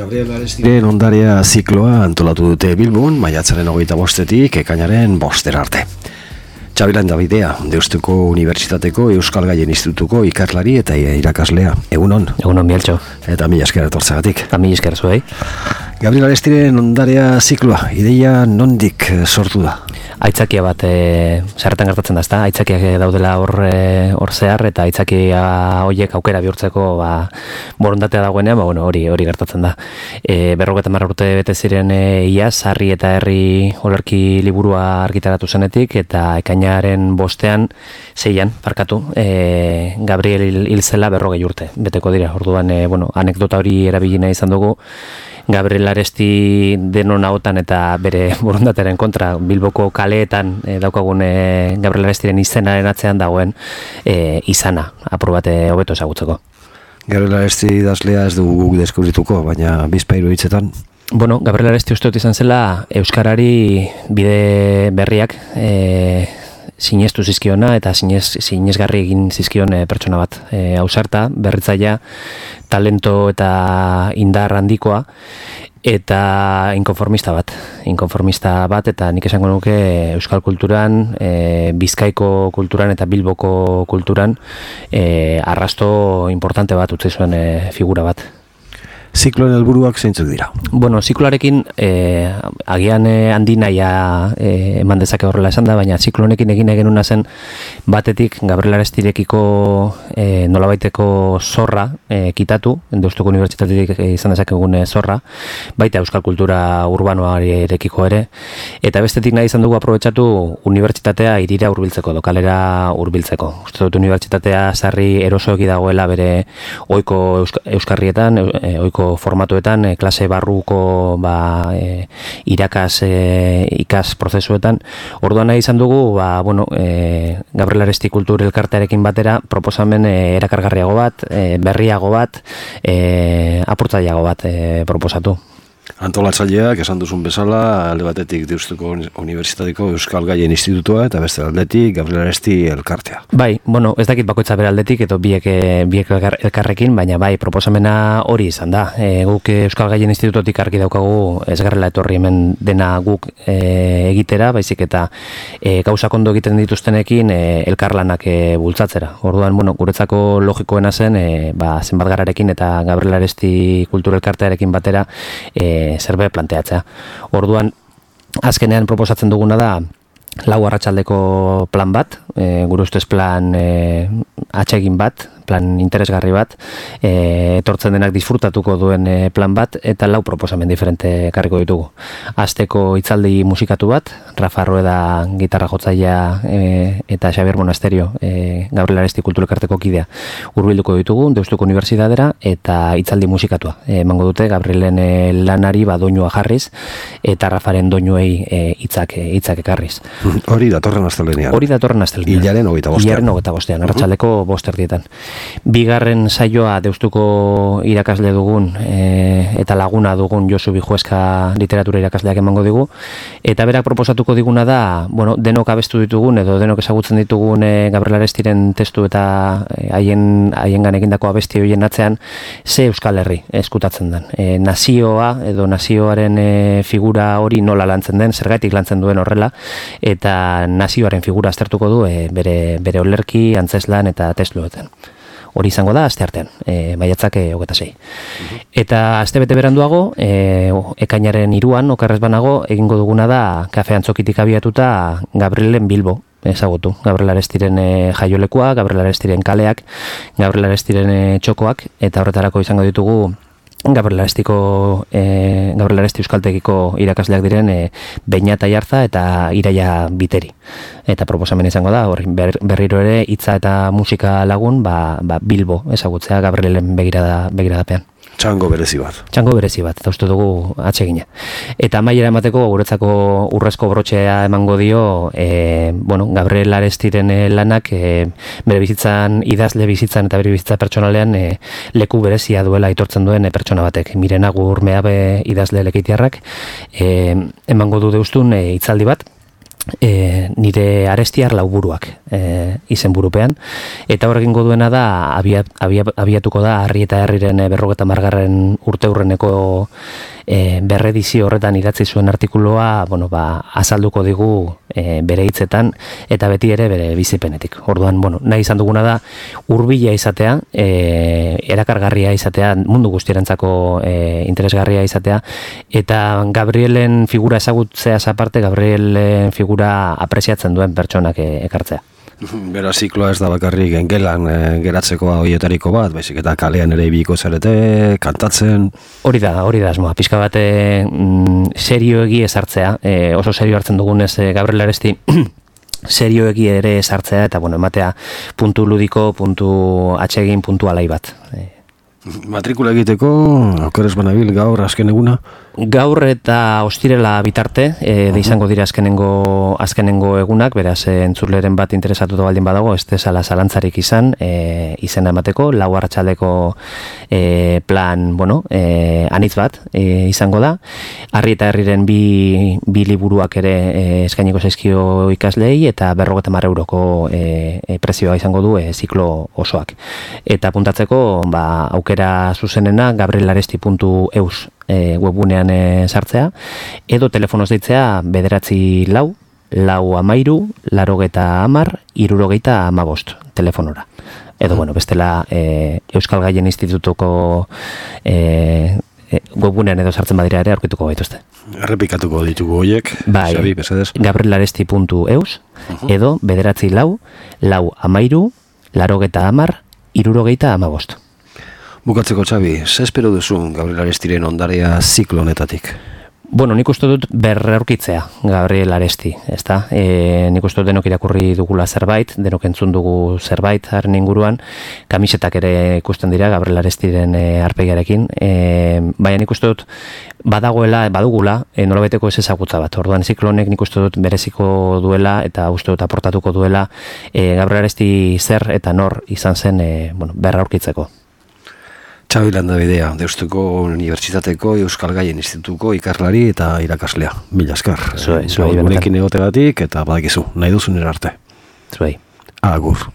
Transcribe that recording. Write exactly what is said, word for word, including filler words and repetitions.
Gabriel Arestiren ondarea zikloa antolatu dute Bilbon, maiatzaren hogeita bostetik ekainaren bostera arte. Txabilan Davidea, Deustuko Unibertsitateko Euskal Gaien Institutuko ikerlari eta irakaslea. Egunon. Egunon, Bieltxo. Eta mila esker etortzegatik. Eta mila esker zuei. Gabriel Arestiren ondarea zikloa, ideia nondik sortu da? Aitzakia bat, e, zerretan gertatzen da, ezta? Aitzakiak daudela hor e, hor zehar, eta aitzakia horiek aukera bihurtzeko ba, borondatea dagoenean, ba, bueno, hori hori gertatzen da. E, berrogeita hamar urte bete ziren e, iaz, Sarri eta Herri olerki liburua argitaratu zenetik, eta ekainaren bostean, zeian, parkatu, e, Gabriel hil zela berrogei urte, beteko dira. Orduan, e, bueno, anekdota hori erabili nahi izan dugu, Gabriel Aresti denon ahotan eta bere borondatearen kontra Bilboko kaleetan e, daukagun e, Gabriel Arestiren izenaren atzean dagoen e, izana, apur bat hobeto ezagutzeko. Gabriel Aresti idazlea ez dugu guk deskubrituko, baina bizpahiru hitzetan. Bueno, Gabriel Aresti uste dut izan zela Euskarari bide berriak e, sinestu zizkiona eta sinez, sinesgarri egin zizkion e, pertsona bat. E, ausarta, berritzaia, talento eta indar handikoa, eta inkonformista bat. Inkonformista bat, eta nik esango nuke euskal kulturan, e, Bizkaiko kulturan eta Bilboko kulturan e, arrasto importante bat utzi zuen e, figura bat. Zikloen helburuak zeintzuk dira? Bueno, zikloarekin eh, agian eh, handi nahia eh, eman dezake horrela esan da, baina ziklonekin egin egenuna zen batetik Gabriel Arestirekiko eh, nolabaiteko zorra eh, kitatu, Deustuko Unibertsitatetik eh, izan dezakegun eh, zorra, baita euskal kultura urbanoarekiko ere, eta bestetik nahi izan dugu aprobetxatu unibertsitatea hirira hurbiltzeko, lokalera hurbiltzeko. Uste dut unibertsitatea sarri erosoegi dagoela bere ohiko euska, euskarrietan, e, ohiko formatuetan, e, klase barruko ba, e, irakas e, ikas prozesuetan. Orduan nahi izan dugu, ba, bueno, e, Gabriel Aresti kultur elkartearekin batera proposamen e, erakargarriago bat, e, berriago bat, e, apurtzaileago bat e, proposatu. Antolatzaileak esan duzun bezala, alde batetik Deustuko Unibertsitateko Euskal Gaien Institutua eta beste aldetik Gabriel Aresti elkartea. Bai, bueno, ez dakit bakoitza bere aldetik edo biek, biek elkarrekin, baina bai, proposamena hori izan da. E, guk Euskal Gaien Institutotik argi daukagu ez garrela etorri hemen dena guk e, egitera, baizik eta e, gauzak ondo egiten dituztenekin e, elkarlanak e, bultzatzera. Orduan, bueno, guretzako logikoena zen, e, ba, zenbat gararekin eta Gabriel Aresti kultur elkartearekin batera e, zerbe planteatzea. Orduan, azkenean proposatzen duguna da lau arratsaldeko plan bat, e, gure ustez plan e, atsegin bat, plan interesgarri bat, e, etortzen denak disfrutatuko duen e, plan bat, eta lau proposamen diferente ekarriko ditugu. Azteko hitzaldi musikatu bat, Rafa Rueda gitarra jotzailea e, eta Xabier Monasterio, e, Gabriel Aresti kultur elkarteko kidea, hurbilduko ditugu Deustuko Unibertsitatera eta hitzaldi musikatua. E, emango dute Gabrielen e, lanari ba doinua jarriz eta Rafaren doinuei hitzak e, hitzak ekarriz. Hori datorren astelehenean. Hori datorren astelehenean. Hilaren hogeita bostean. Hilaren hogeita bostean, arratsaldeko bost erdietan. Bigarren saioa Deustuko irakasle dugun e, eta laguna dugun Josu Bijueska literatura irakasleak emango digu, eta berak proposatuko diguna da, bueno, denok abestu ditugun edo denok ezagutzen ditugun e, Gabriel Arestiren testu eta haien e, haiengan egindako abesti horien atzean ze Euskal Herri eskutatzen den. E, nazioa edo nazioaren e, figura hori nola lantzen den, zergatik lantzen duen horrela, eta nazioaren figura aztertuko du e, bere, bere olerki, antzeslan eta testuetan. Hori izango da asteartean, e, maiatzak hogeita sei. Eta astebete beranduago, e, ekainaren hiruan, okerrez banago, egingo duguna da kafe antzokitik abiatuta Gabrielen Bilbo ezagutu. Gabriel Arestiren e, jaiolekua, Gabriel Arestiren kaleak, Gabriel Arestiren e, txokoak, eta horretarako izango ditugu Gabriel Arestiko, e, Gabriel Aresti euskaltegiko irakasleak diren e, Beñat Aiartza eta Iraia Biteri. Eta proposamen izango da, hor, ber, berriro ere hitza eta musika lagun ba, ba Bilbo ezagutzea Gabrielen begirada, begiradapean. Txango berezi bat. Txango berezi bat, eta uste dugu atsegina. Eta amaiera emateko guretzako urrezko brotxea emango dio e, bueno, Gabriel Arestiren lanak e, bere bizitzan, idazle bizitzan eta bere bizitza pertsonalean e, leku berezia duela aitortzen duen e, pertsona batek. Mirena Gurmeabe idazle lekitiarrak e, emango du deustun e, hitzaldi bat, E, nire arestiar lauburuak e, izen burupean, eta horrekin goduena da abiat, abiat, abiatuko da Harri eta Herriren berrogeta margarren urte hurreneko e, berredizio horretan idatzi zuen artikuloa, bueno, ba, azalduko digu e, bere hitzetan eta beti ere bere bizipenetik. Orduan, bueno, nahi izan duguna da hurbila izatea, e, erakargarria izatea, mundu guztierantzako e, interesgarria izatea, eta Gabrielen figura ezagutzeaz aparte, Gabrielen figura apreziatzen duen pertsonak ekartzea. Bera zikloa ez da bakarrik gelan e, geratzeko horietariko bat, baizik eta kalean ere ibiko zarete, kantatzen. Hori da, hori da asmoa. Pixka bate mm, serioegi ezartzea, e, oso serio hartzen dugunez e, Gabriel Aresti serioegi ere ezartzea, eta bueno, ematea puntu ludiko, puntu atsegin, puntu alai bat. E, Matrikula egiteko, aukeres banabil gaur azken eguna? Gaur eta ostirela bitarte, e, de izango dira azkenengo, azkenengo egunak, beraz e, entzuleren bat interesatuta baldin badago, ez dezala zalantzarik izan, e, izena emateko, lau arratsaldeko e, plan, bueno, e, anitz bat e, izango da. Harri eta Herriren bi, bi liburuak ere e, eskainiko zaizkio ikaslei, eta berrogeta mar euroko e, e, prezioa izango du e, ziklo osoak. Eta puntatzeko, ba, aukera zuzenena gabrielaresti puntu eus e, webgunean e, sartzea, edo telefonoz deitzea bederatzi lau, lau amairu, larogeta amar, irurogeita amabost telefonora. Edo, bueno, bestela e, Euskal Gaien Institutuko e, e, webgunean edo sartzen badira ere aurkituko gaituzte. Errepikatuko ditugu horiek, bai, Xabi, besedez. gabrielaresti puntu eus, uh-huh. edo bederatzi lau, lau amairu, larogeta amar, irurogeita amabost. Bukatzeko, Xabi, ze espero duzu Gabriel Arestiren ondarea ziklo honetatik? Bueno, nik uste dut berrerkitzea Gabriel Aresti, ezta? E, nik uste dut denok irakurri dugula zerbait, denok entzun dugu zerbait haren inguruan, kamisetak ere ikusten dira Gabriel Arestiren e, arpegiarekin, e, baina nik uste dut badagoela, badugula, e, nolabeteko ez ezagutza bat. Orduan ziklo honek nik uste dut bereziko duela eta uste dut aportatuko duela e, Gabriel Aresti zer eta nor izan zen e, bueno, berrerkitzeko. Xabi Landabidea, Deustuko Unibertsitateko Euskal Gaien Institutuko ikarlari eta irakaslea. Mila esker. Zuei, zuei. Gurekin egotegatik eta badakizu, nahi duzun erarte. Zuei. Agur.